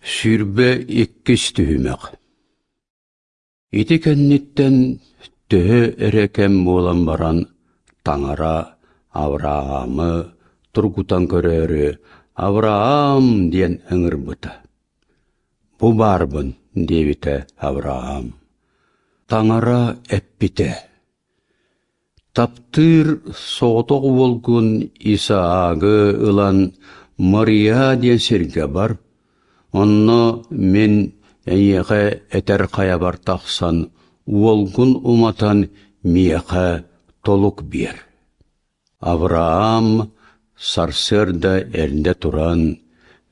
22 түһүмэх Ити кэнниттэн төһө эрэ кэм буолан баран Таҥара Авраамы тургутан көрөөрү «Авраам!» диэн ыҥырбыта. «Бу баарбын» диэбитэ Авраам. Таҥара эппитэ: Таптыыр соҕотох уолгун Исаагы ылан Мария диэн сиргэ бар, онно мин эйиэхэ этэр хайабар тахсан уолгун уматан миэхэ толук биэр. Авраам сарсыарда эрдэ туран,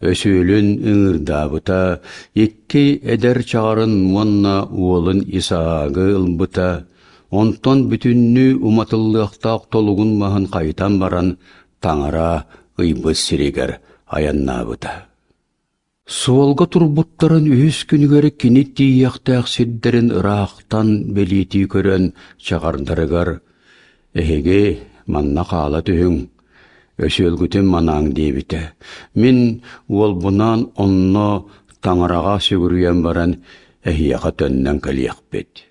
өсүөлүн ыҥырдаабыта, икки эдэр чаҕарын уонна уолун Исаагы ылбыта, онтон бүтүннүү уматыллыахтаах толугун маһын хайытан баран Таҥара ыйбыт сиригэр айаннаабыта. Суолга турбуттарын үһүс күнүгэр кини тиийиэхтээх сирдэрин ыраахтан бэлиэтии көрөн чаҕардарыгар «Эһиги манна хаала түһүҥ, өсүөлгүтүн манааҥ» диэбитэ. Мин уолбунаан онно Таҥараҕа сүгүрүйэн баран эһиэхэ төннөн кэлиэхпит.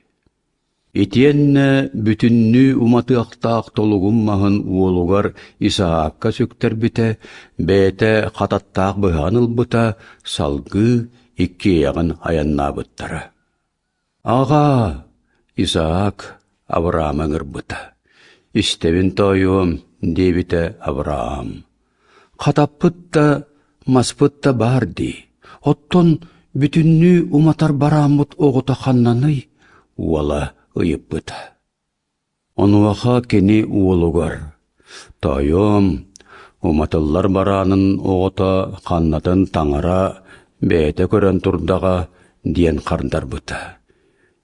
Итиэннэ бүтүннүү уматыахтаах толугум маһын уолугар Исаакка сүктэрбитэ, бэйэтэ хататтаах быһаҕын ылбыта, салгыы иккиэйэҕин айаннаабыттара. «Аҕаа!» Исаак Авраамы ыҥырбыта. «Истэбин тоойуом» диэбитэ Авраам. «Хатаппыт да, маспыт да баар дии. Оттон бүтүннүү уматар барааммыт оҕото ханнаный?» уола ыйыппыта. Онуоха кини уолугар: «Тоойуом, уматыллар бараанын оҕото ханнатын таҥара бэйэтэ көрөн турдаҕа» диэн хардарбыта.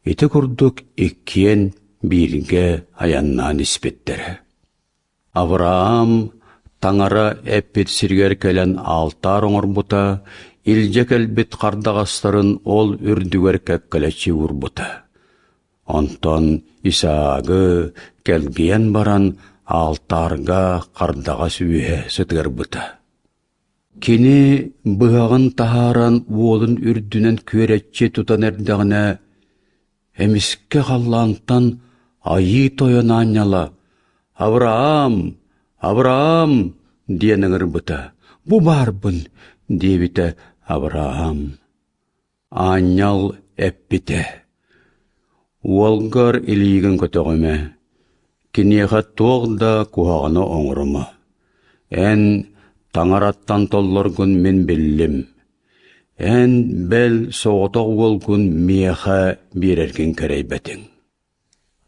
Ити курдук иккиэн бииргэ айаннаан испиттэрэ. Авраам Таҥара эппит сиригэр кэлэн аалтаар оҥорбута, илдьэ кэлбит хардаҕастарын ол үрдүгэр кэккэлэччи уурбута. Онтон Исаагы кэлгийэн баран аалтаарга хардаҕас үөһэ сытыарбыта. Кини быһаҕын таһааран уолун үрдүнэн күөрэччи тутан эрдэҕинэ, Эмискэ халлаантан Айыы Тойон аанньала «Авраам! Авраам!» диэн ыҥырбыта. «Бу баарбын!» диэбитэ Авраам. Аанньал эппитэ: «Уолгар илиигин көтөҕүмэ, киниэхэ туох да куһаҕаны оҥорума. Эн Таҥараттан толлоргун мин биллим. Эн бэл соҕотох уолгун миэхэ биэрэргин кэрэйбэтиҥ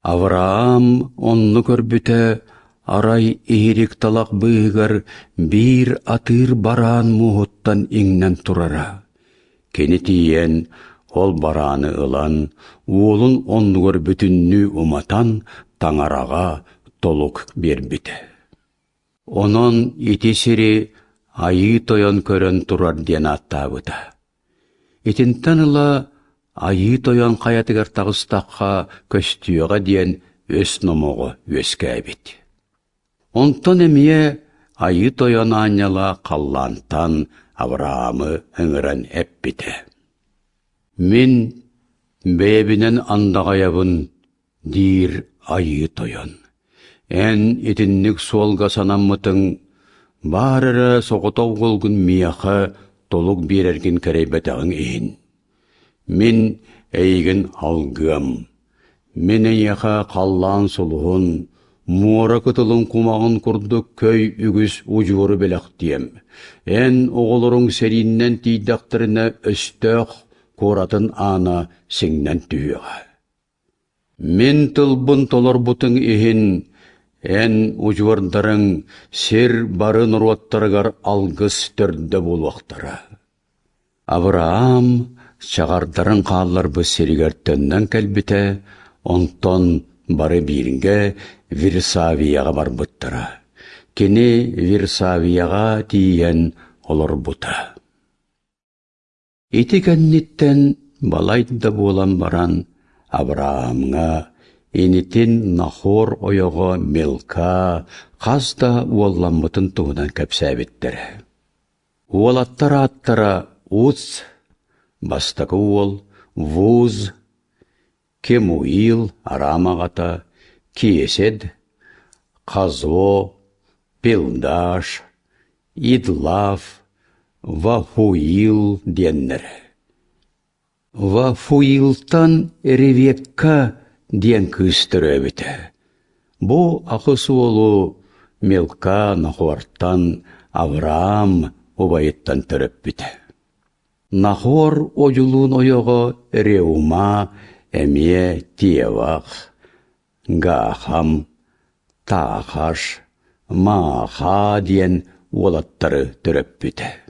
Авраам онну көрбүтэ, арай иһирик талах быыһыгар биир атыыр бараан муоһуттан иҥнэн турара. Кини тиийэн, ол барааны ылан, уолун оннугар бүтүннүү уматан, Таҥараҕа толук биэрбитэ. Онон ити сири Айыы Тойон көрөн турар диэн ааттаабыта. Итинтэн ыла Айыы Тойон хайатыгар таҕыстахха көстүөҕэ диэн өс номоҕо үөскээбит. Онтон эмиэ Айыы Тойон аанньала халлаантан Авраамы ыҥыран эппитэ: «Мин бэйэбинэн андаҕайабын диир Айыы Тойон. Эн итинник суолга санаммытыҥ, баар эрэ соҕотох уолгун миэхэ толук биэрэргин кэрэйбэтэҕиҥ иһин. Мин эйигин алгыам. Мин эйиэхэ халлаан сулуһун, муора кытылын кумаҕын курдук көй үгүс удьуору бэлэхтиэм. Эн оҕолоруҥ сэрииннэн тиийдэхтэринэ өстөөх куоратын аана сиҥнэн түһүөҕэ. Мин тылбын толорбутуҥ иһин эн удьуордарыҥ сир бары норуоттарыгар алгыс төрдө буолуохтара. Авраам чаҕардарын хаалларбыт сиригэр төннөн кэлбитэ, онтон бары бииргэ Вирсавияҕа барбыттара. Кини Вирсавияҕа тиийэн олорбута. Ити кэнниттэн балайда буолан баран Авраамҥа инитин Нахор ойоҕо Милка хас да уолламмытын туһунан кэпсээбиттэрэ. Уолаттар ааттара Уц, Бастакы уол Вуз, Кемуил Арам аҕата, Киэсэд, Хазо, Пилдаш, Идлав, Вафуил диэннэр. Вафуилтан Ревекка диэн кыыс төрөөбүтэ. Бу аҕыс уолу Милка Нахортан Авраам убайыттан төрөппүтэ. Нахор одьулуун ойоҕо Реума эмиэ Тевах, Гаахам, Таахаш, Мааха диэн уолаттары төрөппүтэ.